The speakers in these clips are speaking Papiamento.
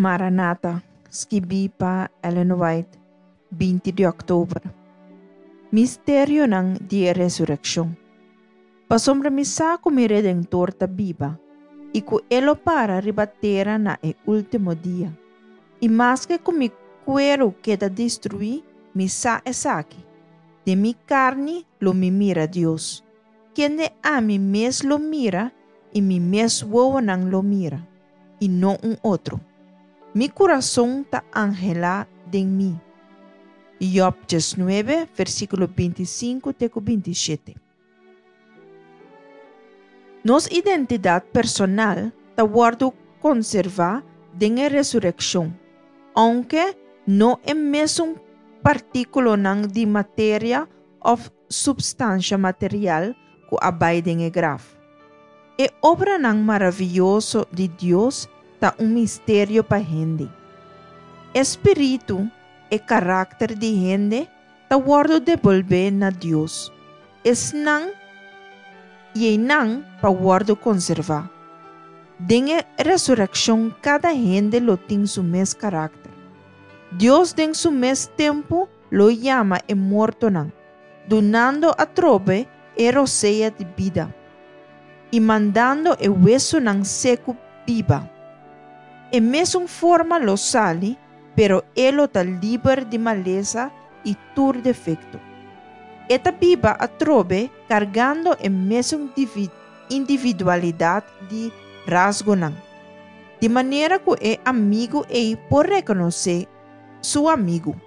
Maranata, skibí pa Ellen White, 20 di òktober. Misterionan di e Resurekshon. Pasobra mi sa ku mi Redentor ta biba, i ku e lo para riba tera na e último dia. I maske ku mi kueru keda destruí, mi sa esaki, den mi karni lo mi mira Dios, kende ami mes lo mira i mi mes wowonan lo mira, i no un otro. Mi kurason ta anhelá den mi. Job 19, versíkulo 25 te ku 27. Nos identidat personal ta wòrdu konservá den e resurekshon, ounke no e mesun partíkulonan di materia òf supstansha material ku a bai den e graf. E obranan maravioso di Dios ta un misterio pa hende. E spiritu, e karakter di hende, ta wòrdu debolbé na Dios, esnan i einan pa wòrdu konservá. Den e resurekshon kada hende lo tin su mes karakter. Dios den su mes tempu lo yama e mortonan, dunando atrobe e rosea di bida, i mandando e wesunan seku biba. E mesun forma lo sali pero e lo ta liber di malesa i tur defekto. E ta biba atrobe kargando e mesun individualidat di rasgonan, di manera ku e amigu ei por rekonosé su amigu.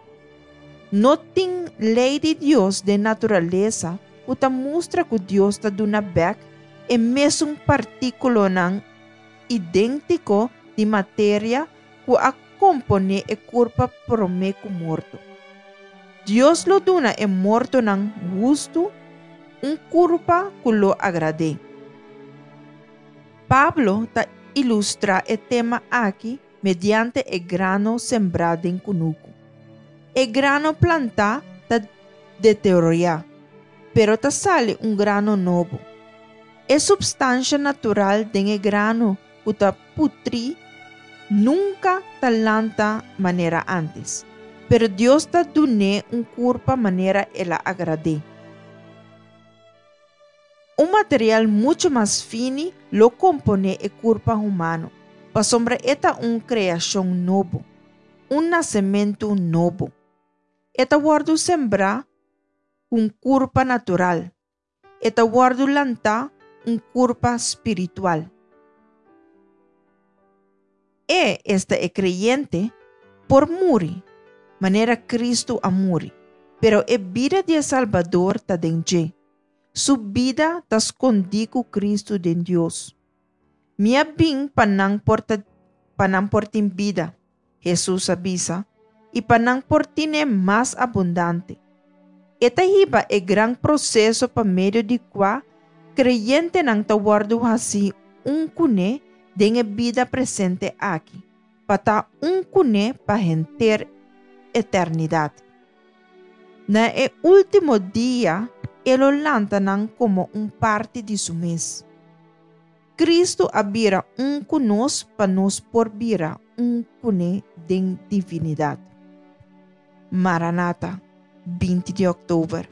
No tin lei di Dios den naturalesa ku ta mustra ku Dios ta duna bèk e mesun partíkulonan idéntiko di materia ku a komponé e kurpa promé ku morto. Dios lo duna e mortonan hustu un kurpa ku lo agrad'é. Pablo ta ilustrá e tema aki mediante e grano sembrá den kunuku. E grano plantá ta deteriorá, pero ta sali un grano nobo. E supstansha natural den e grano ku ta putrí nunka ta lanta manera ántes, pero Dios ta dun'é un kurpa manera el a agrad'é. Un material muchu mas fini lo komponé e kurpa humano, pasobra e ta un kreashon nobo, un nasementu nobo. E ta wòrdu sembrá ku un kurpa natural, E ta wòrdu lantá un kurpa spiritual. E, esta e kreyente, por muri, manera Kristu a muri, pero e bida di e Salbador ta den dje. Su bida ta skondí ku Kristu den Dios. Mi a bin pa nan por ta pa nan por tin bida, Hesus a bisa, i pa nan por tine mas abundante. E ta hiba e gran proseso pa medio di kua kreyentenan ta wòrdu hasí un kuné den e bida presente aki, pa ta un kuné pa henter eternidat. Na e último dia e lo lanta nan komo un parti di su mes. Kristu a bira un ku nos pa nos por bira un kuné den divinidat. Maranata, 20 di òktober.